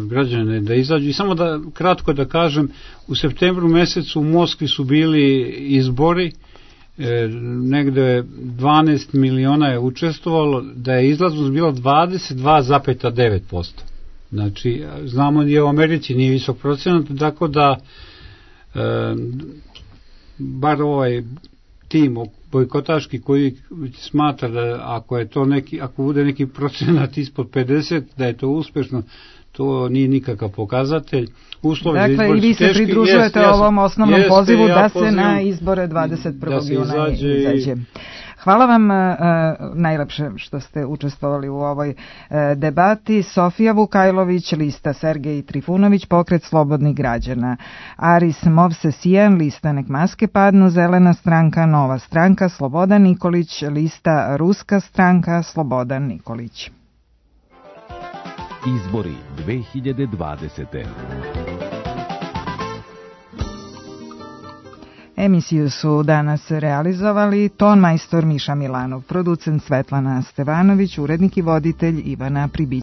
građane da izađu i samo da kratko da kažem, u septembru mesecu u Moskvi su bili izbori, negde 12 miliona je učestvovalo, da je izlaznost bila 22,9%. Znači, znamo da je u Americi nije visok procenat, tako da bar ovaj tim bojkotaški koji smatra da ako bude neki procenat ispod 50, da je to uspešno, to nije nikakav pokazatelj. Dakle, i vi se pridružujete ovom osnovnom pozivu da se na izbore 21. juna izađe. Hvala vam najlepše što ste učestvovali u ovoj debati. Sofija Vukajlović, lista Sergej Trifunović, pokret slobodnih građana. Aris Movsesijan, lista Nek maske padnu, Zelena stranka, Nova stranka, Slobodan Nikolić, lista Ruska stranka, Slobodan Nikolić. Izbori 2020. Emisiju su danas realizovali tonmajstor Miša Milanov, producent Svetlana Stevanović, urednik i voditelj Ivana Pribić.